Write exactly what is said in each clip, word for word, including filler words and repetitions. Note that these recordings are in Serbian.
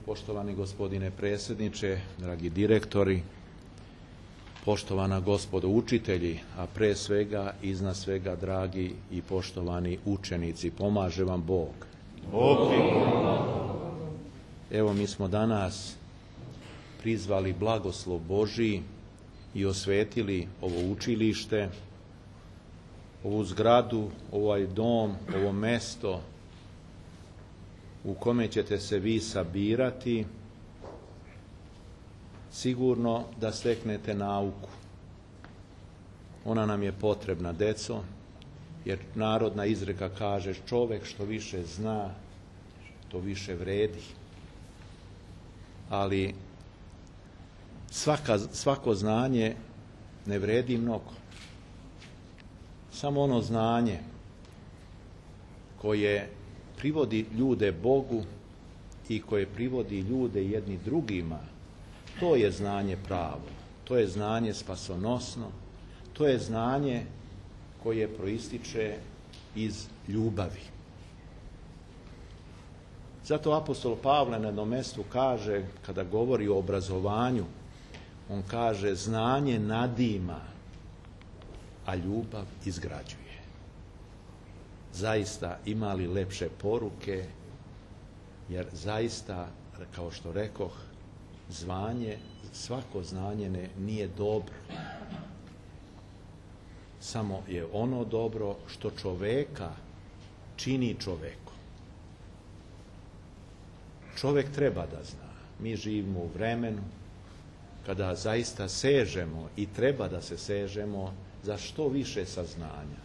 Poštovani gospodine predsjedniče, dragi direktori, poštovana gospodo učitelji, a pre svega, iznad svega, dragi i poštovani učenici, pomaže vam Bog. Evo, mi smo danas prizvali blagoslov Božji i osvetili ovo učilište, ovu zgradu, ovaj dom, ovo mesto u kome ćete se vi sabirati, sigurno da steknete nauku. Ona nam je potrebna, deco, jer narodna izreka kaže: čovek što više zna, to više vredi. Ali svaka, svako znanje ne vredi mnogo. Samo ono znanje koje privodi ljude Bogu i koje privodi ljude jedni drugima, to je znanje pravo, to je znanje spasonosno, to je znanje koje proističe iz ljubavi. Zato apostol Pavle na jednom mestu kaže, kada govori o obrazovanju, on kaže: znanje nadima, a ljubav izgrađuje. Zaista, ima li lepše poruke, jer zaista, kao što rekoh, zvanje, svako znanje ne, nije dobro. Samo je ono dobro što čoveka čini čovekom. Čovek treba da zna. Mi živimo u vremenu kada zaista sežemo i treba da se sežemo za što više saznanja.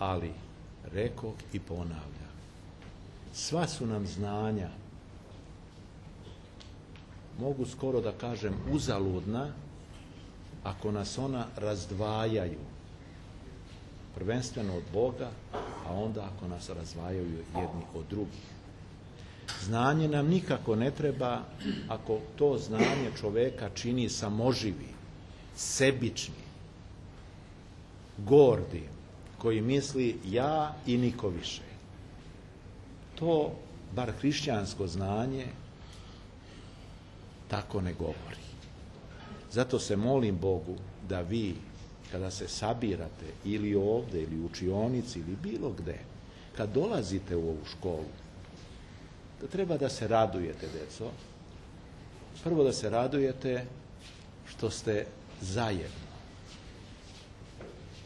Ali, rekoh i ponavljam, sva su nam znanja, mogu skoro da kažem, uzaludna, ako nas ona razdvajaju, prvenstveno od Boga, a onda ako nas razdvajaju jedni od drugih. Znanje nam nikako ne treba ako to znanje čoveka čini samoživi, sebični, gordi, koji misli ja i niko više. To, bar hrišćansko znanje, tako ne govori. Zato se molim Bogu da vi, kada se sabirate ili ovde, ili u učionici, ili bilo gde, kad dolazite u ovu školu, da treba da se radujete, deco. Prvo da se radujete što ste zajedno.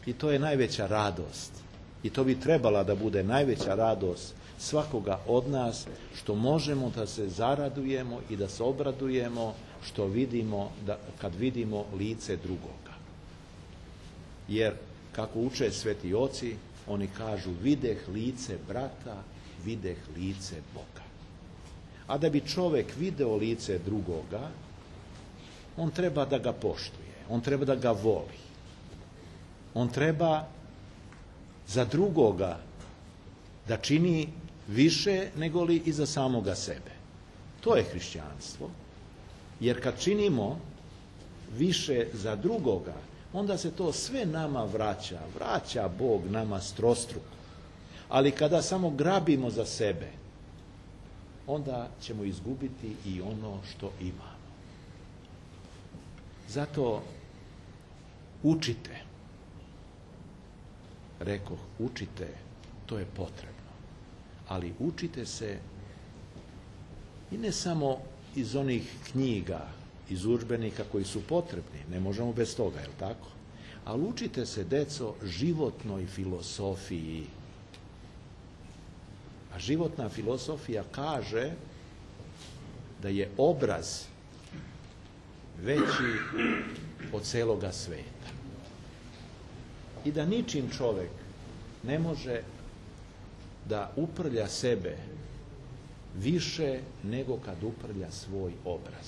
I to je najveća radost. I to bi trebala da bude najveća radost svakoga od nas, što možemo da se zaradujemo i da se obradujemo što vidimo, da, kad vidimo lice drugoga. Jer, kako uče sveti oci, oni kažu: videh lice brata, videh lice Boga. A da bi čovek video lice drugoga, on treba da ga poštuje, on treba da ga voli. On treba za drugoga da čini više nego li i za samoga sebe. To je hrišćanstvo. Jer kad činimo više za drugoga, onda se to sve nama vraća. Vraća Bog nama strostruko. Ali kada samo grabimo za sebe, onda ćemo izgubiti i ono što imamo. Zato učite. Rekoh, učite, to je potrebno. Ali učite se i ne samo iz onih knjiga, iz udžbenika koji su potrebni, ne možemo bez toga, je li tako? Ali učite se, deco, životnoj filosofiji. A životna filosofija kaže da je obraz veći od celoga sveta. I da ničim čovek ne može da uprlja sebe više nego kad uprlja svoj obraz,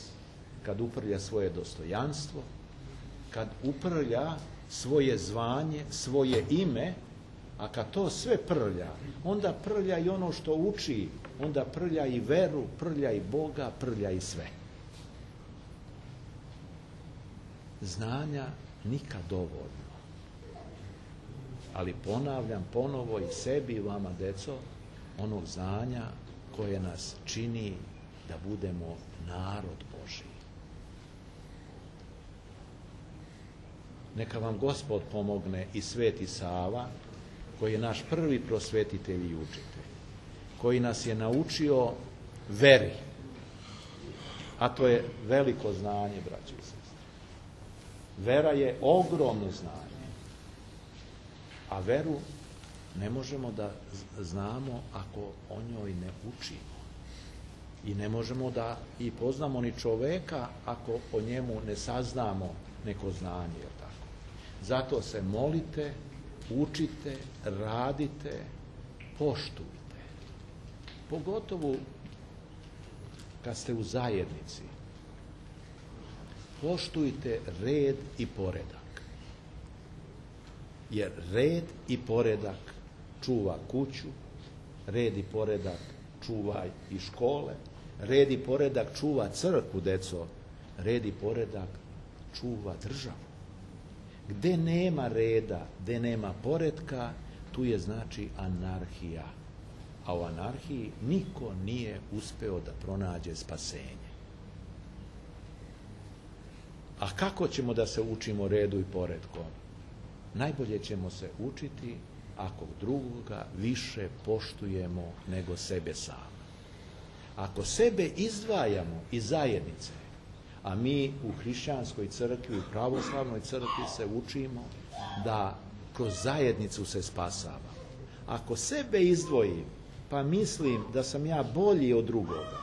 kad uprlja svoje dostojanstvo, kad uprlja svoje zvanje, svoje ime, a kad to sve prlja, onda prlja i ono što uči, onda prlja i veru, prlja i Boga, prlja i sve. Znanja nikad dovoljno. Ali ponavljam ponovo i sebi i vama, deco, onog znanja koje nas čini da budemo narod Božji. Neka vam Gospod pomogne i Sveti Sava, koji je naš prvi prosvetitelj i učitelj, koji nas je naučio veri, a to je veliko znanje, braći i sestre. Vera je ogromno znanje, a veru ne možemo da znamo ako o njoj ne učimo. I ne možemo da i poznamo ni čoveka ako o njemu ne saznamo neko znanje, je tako? Zato se molite, učite, radite, poštujte. Pogotovo kad ste u zajednici. Poštujte red i poredak. Jer red i poredak čuva kuću, red i poredak čuva i škole, red i poredak čuva crkvu, deco, red i poredak čuva državu. Gde nema reda, gde nema poretka, tu je znači anarhija. A u anarhiji niko nije uspeo da pronađe spasenje. A kako ćemo da se učimo redu i poretkom? Najbolje ćemo se učiti ako drugoga više poštujemo nego sebe sami. Ako sebe izdvajamo iz zajednice, a mi u hrišćanskoj crkvi, u pravoslavnoj crkvi se učimo da kroz zajednicu se spasava. Ako sebe izdvojim, pa mislim da sam ja bolji od drugoga,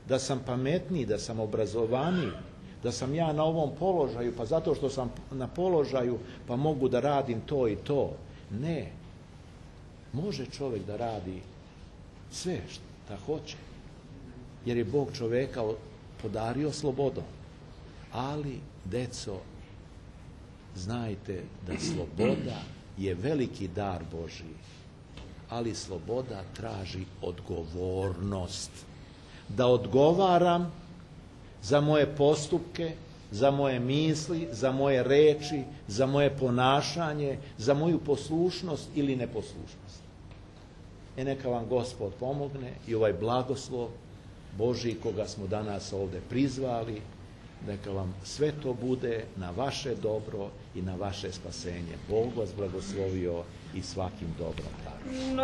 da sam pametniji, da sam obrazovaniji, da sam ja na ovom položaju, pa zato što sam na položaju, pa mogu da radim to i to. Ne. Može čovjek da radi sve što hoće, jer je Bog čoveka podario slobodom. Ali, deco, znajte da sloboda je veliki dar Božji, ali sloboda traži odgovornost. Da odgovaram za moje postupke, za moje misli, za moje reči, za moje ponašanje, za moju poslušnost ili neposlušnost. E neka vam Gospod pomogne i ovaj blagoslov Božji koga smo danas ovdje prizvali, neka vam sve to bude na vaše dobro i na vaše spasenje. Bog vas blagoslovio i svakim dobrom daru.